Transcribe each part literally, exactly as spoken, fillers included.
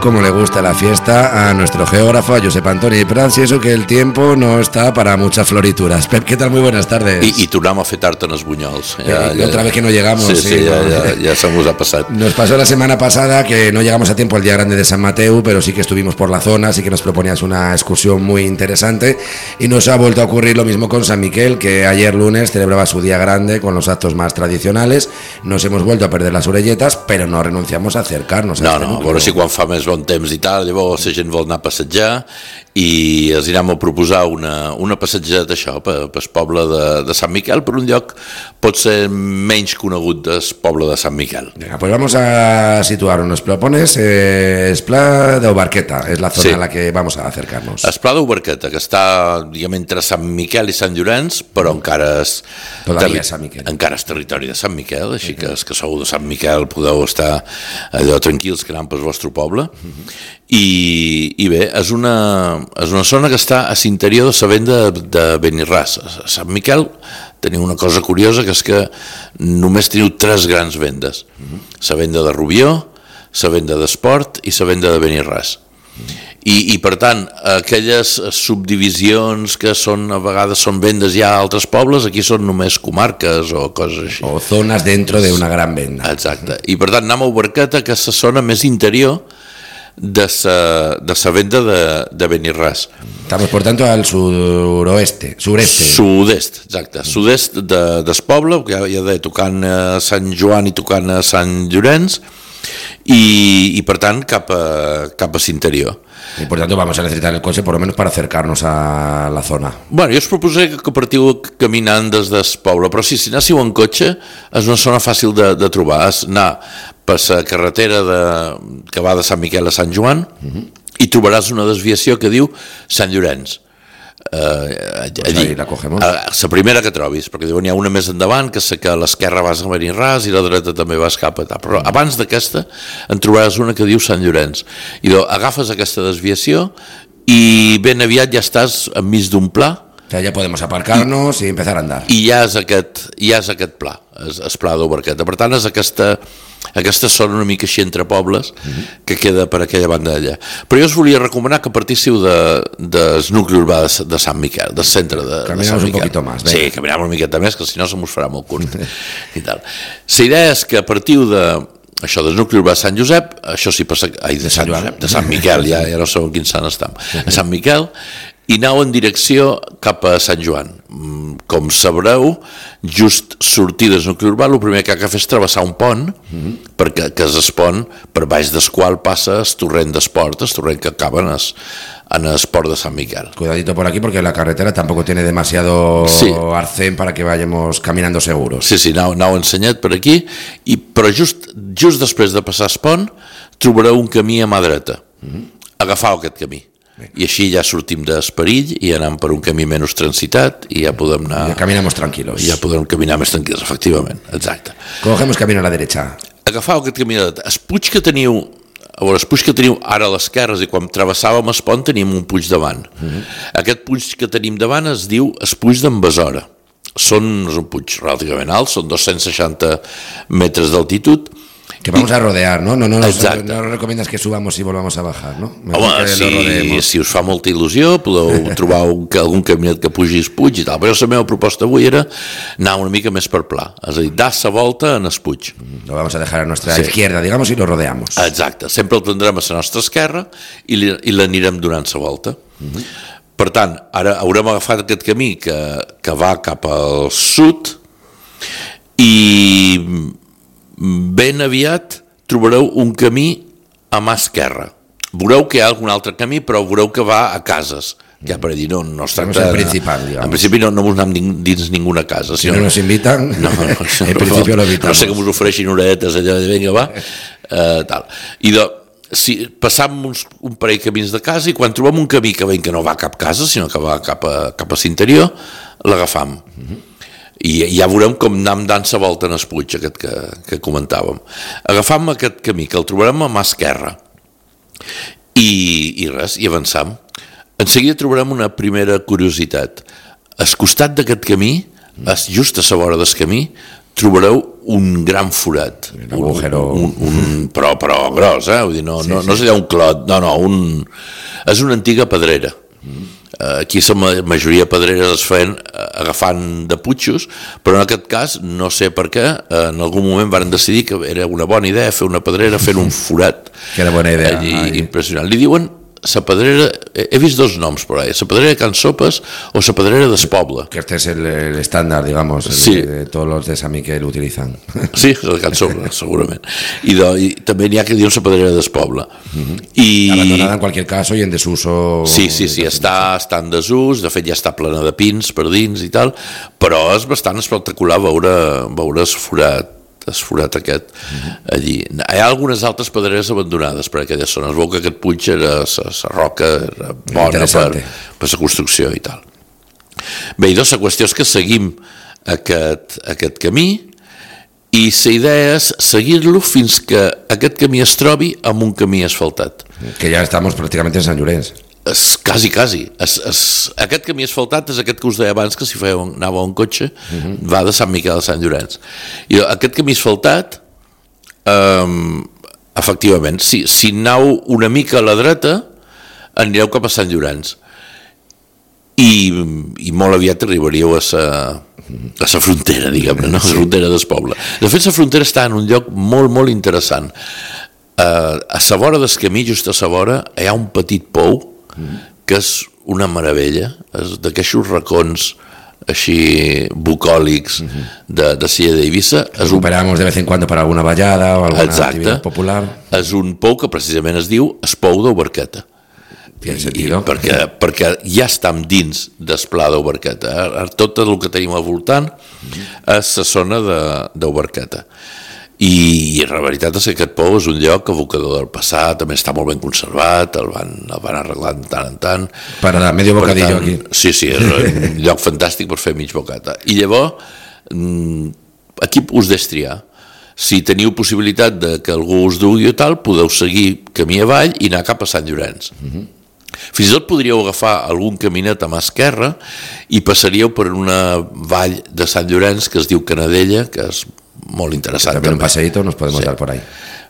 como le gusta la fiesta a nuestro geógrafo, a Josep Antoni Prats, y eso que el tiempo no está para muchas florituras. Pep, ¿qué tal? Muy buenas tardes. I, i tornem a fer tard en els bunyols. Ja, ja, otra vez que no llegamos. Sí, sí, sí ja, ¿no? ja, ja se nos ha pasado. Nos pasó la semana pasada que no llegamos a tiempo al Día Grande de San Mateu, pero sí que estuvimos por la zona, sí que nos proponías una excursión muy interesante, y nos ha vuelto a ocurrir lo mismo con San Miquel, que ayer lunes celebraba su Día Grande con los actos más tradicionales. Nos hemos vuelto a perder las orelletas, pero no renunciamos a acercarnos a no, este no, núcleo. a veure si quan fa més bon temps i tal, llavors la gent vol anar a passejar i els anirem a proposar una, una passejada això, pel, pel poble de, de Sant Miquel, per un lloc potser menys conegut del poble de Sant Miquel. Venga, pues vamos a situarnos. Nos propones eh, es Pla d'Ubarqueta, es la zona sí. a la que vamos a acercarnos. Es Pla d'Ubarqueta, que està diguem, entre Sant Miquel i Sant Llorenç, però encara és, Todavía és Sant Miquel. encara és territori de Sant Miquel, així que els que sou de Sant Miquel podeu estar allò tranquils que anant pel vostre poble. Uh-huh. I, i bé, és una, és una zona que està a l'interior de la venda de Benirràs. A Sant Miquel teniu una cosa curiosa, que és que només teniu tres grans vendes. Uh-huh. La venda de Rubió, la venda d'Esport i la venda de Benirràs. Uh-huh. I, i per tant, aquelles subdivisions que són a vegades són vendes ja a altres pobles, aquí són només comarques o coses així. O zonas dentro de una gran venda. Exacte. I per tant anem a Ubarqueta, que és la zona més interior de la de sa venda de, de Benirràs. Estamos, por tanto, al suroeste, sureste. Sud-est, exacte. Sud-est de, del poble, que ja, ja deia, tocant a Sant Joan i tocant a Sant Llorenç, i, i per tant cap a, cap a l'interior. Y por tanto vamos a necesitar el coche por lo menos para acercarnos a la zona. Bueno, jo us proposé que partiu caminant des del poble, però si, si anéssiu en cotxe és una zona fàcil de, de trobar. És anar per la carretera de, que va de Sant Miquel a Sant Joan, uh-huh. i trobaràs una desviació que diu Sant Llorenç. Uh, pues allí la cogemos. La primera que trobis, perquè n'hi ha una més endavant, que sé que a l'esquerra vas a Benirràs i a la dreta també vas cap a tal, però abans d'aquesta en trobaràs una que diu Sant Llorenç, i doncs agafes aquesta desviació i ben aviat ja estàs enmig d'un pla. O sea, ya podemos aparcarnos i, y empezar a andar. I ja és aquest, ja és aquest pla, és, és Pla d'Ubarqueta. Per tant, és aquesta, aquesta zona una mica així entre pobles, uh-huh. que queda per aquella banda d'allà. Però jo us volia recomanar que partíssiu de, del nucli urbà de, de Sant Miquel, del centre de, de Sant Miquel. Un poquito más. Venga. Sí, caminam una miqueta més, que si no se mos farà molt curt. I tal. La idea és que partiu de... Això del nucli urbà de Sant Josep, això sí passa... Ai, de, de Sant Josep, de Sant Miquel, ja, ja no sé en quin sant estem. A Sant Miquel, i aneu en direcció cap a Sant Joan. Com sabreu, just sortir del nucli urbà, el primer que ha de fer és travessar un pont, mm-hmm. perquè que és el pont per baix del qual passa el torrent d'Esport, el torrent que acaba en el, en el port de Sant Miquel. Cuidadito por aquí porque la carretera tampoco tiene demasiado sí. arcén para que vayamos caminando seguros. Sí, sí, aneu, aneu ensenyat per aquí, i, però just, just després de passar el pont trobareu un camí a mà dreta. Mm-hmm. Agafau aquest camí. I així ja sortim d'Esperill i anem per un camí menys transitat i ja podem anar... Ja caminamos tranquilos. Ja podem caminar més tranquils, efectivament, exacte. Cogemos camino a la derecha. Agafau aquest camí a la dreta. El puig que teniu, a veure, el puig que teniu ara a l'esquerra, i quan travessàvem el pont tenim un puig davant. Uh-huh. Aquest puig que tenim davant es diu el puig d'en Besora. Són, és un puig relativament alt, són dos-cents seixanta metres d'altitud. Que vamos a rodear, ¿no? No, no, no, no, no recomiendas que subamos y volvamos a bajar, ¿no? Home, si, si us fa molta il·lusió, podeu trobar un, algun caminet que pugi el puig i tal, però la meva proposta avui era anar una mica més per pla, és a dir, dar la volta en el puig. Lo vamos a dejar a nuestra sí. izquierda, digamos, y lo rodeamos. Exacte, sempre el tindrem a la nostra esquerra i, li, i l'anirem donant la volta. Uh-huh. Per tant, ara haurem agafat aquest camí que, que va cap al sud i ben aviat trobareu un camí a mà esquerra. Veureu que hi ha algun altre camí, però veureu que va a cases. Ja per dir, no, no es tracta... En principal, digamos. En principi no, no us anem dins ninguna casa. Si no nos invitan, no, no, en principi lo evitamos. No sé que us ofereixin oretes allà de vinga, va. Uh, tal. I de, si passam uns, un parell de camins de casa i quan trobem un camí que veiem que no va a cap casa, sinó que va cap a, cap a l'interior, l'agafam. Uh-huh. I ja veurem com anem dant la volta en el puig aquest que, que comentàvem. Agafam aquest camí, que el trobarem a mà esquerra, i, i res, i avançam. En seguida trobarem una primera curiositat. Al costat d'aquest camí, just a la vora del camí, trobareu un gran forat. Un agujero. Un, un, un, però, però gros, eh? Vull dir, no, sí, no, no sí. és allà un clot, no, no, un, és una antiga pedrera. Mm. Aquí la majoria de pedreres es feien agafant de putxos, però en aquest cas, no sé per què, en algun moment van decidir que era una bona idea fer una pedrera fent un forat. Que era bona idea. Allí, impressionant. Li diuen la pedrera, he vist dos noms por ahí, la pedrera de Can Sopes o la pedrera d'Espoble. Que este es el, el estándar, digamos, el sí. de, de todos los de Sant Miquel utilizan. Sí, el de Can Sopes, segurament. I, de, i també n'hi ha que diuen la pedrera d'Espoble. Uh-huh. I... Abandonada en cualquier caso i en desuso. Sí, sí, sí, està, està en desús, de fet ja està plena de pins per dins i tal, però és bastant espectacular veure, veure el forat esforat aquest uh-huh. allí. Hi ha algunes altres pedreres abandonades per aquella zona. Es veu que aquest puig era la roca era bona per, per la construcció i tal. Bé, i doncs la qüestió és que seguim aquest, aquest camí i la idea és seguir-lo fins que aquest camí es trobi amb un camí asfaltat. Que ja estem pràcticament en Sant Llorenç. Es, quasi, quasi. Es, es, aquest camí asfaltat és aquest que us deia abans que si fèieu, anava un cotxe uh-huh. va de Sant Miquel a Sant Llorenç. I aquest camí asfaltat um, efectivament, si, si aneu una mica a la dreta anireu cap a Sant Llorenç i, i molt aviat arribaríeu a sa, a sa frontera, diguem-ne, no? A la frontera del poble. De fet, la frontera està en un lloc molt, molt interessant. Uh, a la vora del camí, just a la vora, hi ha un petit pou que és una meravella, és d'aquests racons així bucòlics de, de Silla d'Eivissa. Recuperamos un... de vez en cuando para alguna ballada o alguna Exacte. Activitat popular. És un pou que precisament es diu es pou d'Oberqueta. I, i perquè, perquè ja estem dins del pla d'Oberqueta. Eh? Tot el que tenim al voltant és la zona d'Oberqueta. I la veritat és que aquest pou és un lloc evocador del passat, també està molt ben conservat, el van, el van arreglar de tant en tant. Per a medio bocadillo tant, aquí. Sí, sí, és un lloc fantàstic per fer mig bocata. I llavors, aquí us destriar. Si teniu possibilitat de que algú us dugui o tal, podeu seguir camí avall i anar cap a Sant Llorenç. Uh-huh. Fins i tot podríeu agafar algun caminet a mà esquerra i passaríeu per una vall de Sant Llorenç que es diu Canadella, que és molt interessant. També un passeïto nos podemos sí. dar por ahí.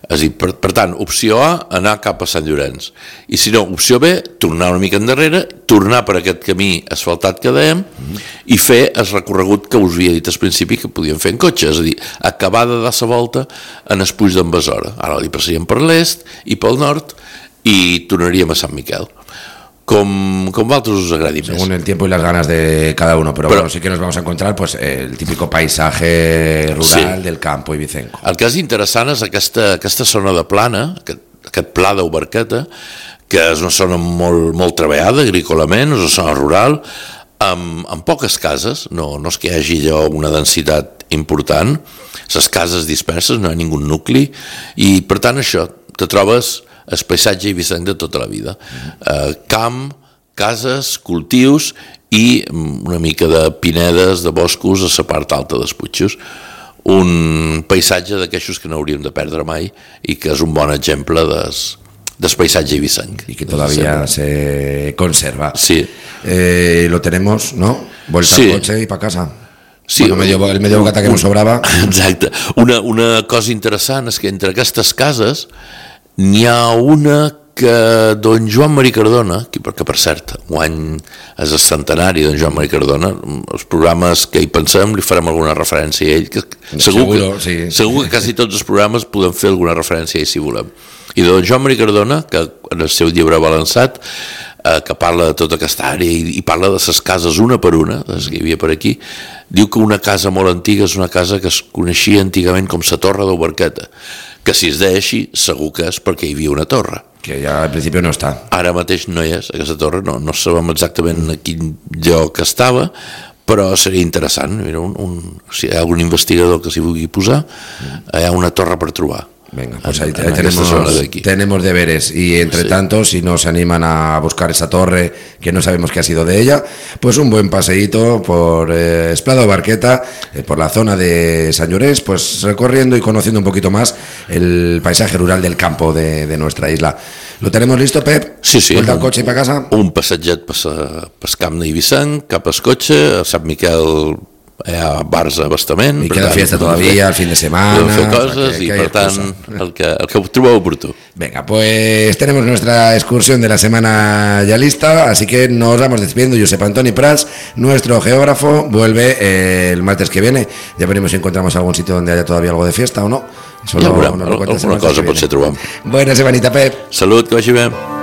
És a dir, per, per tant, opció A, anar cap a Sant Llorenç. I si no, opció B, tornar una mica endarrere, tornar per aquest camí asfaltat que dèiem mm-hmm. i fer el recorregut que us havia dit al principi que podíem fer en cotxe, és a dir, acabar de dar la volta en el Puig d'en Besora. Ara li passaríem per l'est i pel nord i tornaríem a Sant Miquel. Como, como a vosotros os agradi més. Según el tiempo y las ganas de cada uno, pero, pero bueno, sí que nos vamos a encontrar pues, el típico paisaje rural sí. del campo ibicenco. El que és interessant és aquesta, aquesta zona de plana, aquest, aquest pla d'Oberqueta, que és una zona molt, molt treballada agrícolament, és una zona rural, amb, amb poques cases, no, no és que hi hagi allò una densitat important, les cases disperses, no hi ha ningú nucli, i per tant això, te trobes el paisatge eivissenc de tota la vida. Eh, camp, cases, cultius i una mica de pinedes, de boscos a la part alta dels Puigos. Un paisatge d'aquestos que no hauríem de perdre mai i que és un bon exemple des, del paisatge eivissenc. Y que todavía se conserva. Sí. Eh, lo tenemos, ¿no? Vuelta sí. al coche y para casa. Sí, bueno, medio, el medio bocata que un, nos sobrava. Exacte. Una, una cosa interessant és que entre aquestes cases n'hi ha una que don Joan Marí Cardona, que per cert, guany és el centenari de don Joan Marí Cardona, els programes que hi pensem li farem alguna referència a ell, que segur, Seguro, que, sí. segur que quasi tots els programes podem fer alguna referència a ell si volem. I de don Joan Marí Cardona, que en el seu llibre balançat, eh, que parla de tota aquesta àrea i, i parla de les cases una per una, les que hi havia per aquí, diu que una casa molt antiga és una casa que es coneixia antigament com la Torre d'Oberqueta, que si es deia així, segur que és perquè hi havia una torre. Que ja al principi no està. Ara mateix no hi és, aquesta torre, no, no sabem exactament a quin lloc estava, però seria interessant. Mira, un, un, si hi ha algun investigador que s'hi vulgui posar, hi ha una torre per trobar. Venga, pues ahí, ahí tenemos, de tenemos deberes y entre sí. tanto si nos animan a buscar esa torre que no sabemos qué ha sido de ella, pues un buen paseíto por eh, Esplado Barqueta, eh, por la zona de Sant Llorenç, pues recorriendo y conociendo un poquito más el paisaje rural del campo de, de nuestra isla. ¿Lo tenemos listo, Pep? Sí, sí. ¿Vuelta al coche y para casa? Un passatget per el camp d'Eivissenc, cap al cotxe, a Sant Miquel hi ha bars a bastament. Y queda fiesta todavía, el fin de semana. Podeu fer coses i, per tant, el que, el que trobeu oportú. Venga, pues tenemos nuestra excursión de la semana ya lista, así que nos vamos despidiendo. Josep Antoni Prats, nuestro geógrafo, vuelve eh, el martes que viene. Ya veremos si encontramos algún sitio donde haya todavía algo de fiesta o no. Eso ja lo, veurem, no, alguna cosa potser trobem. Buena semanita, Pep. Salut, que vagi bé.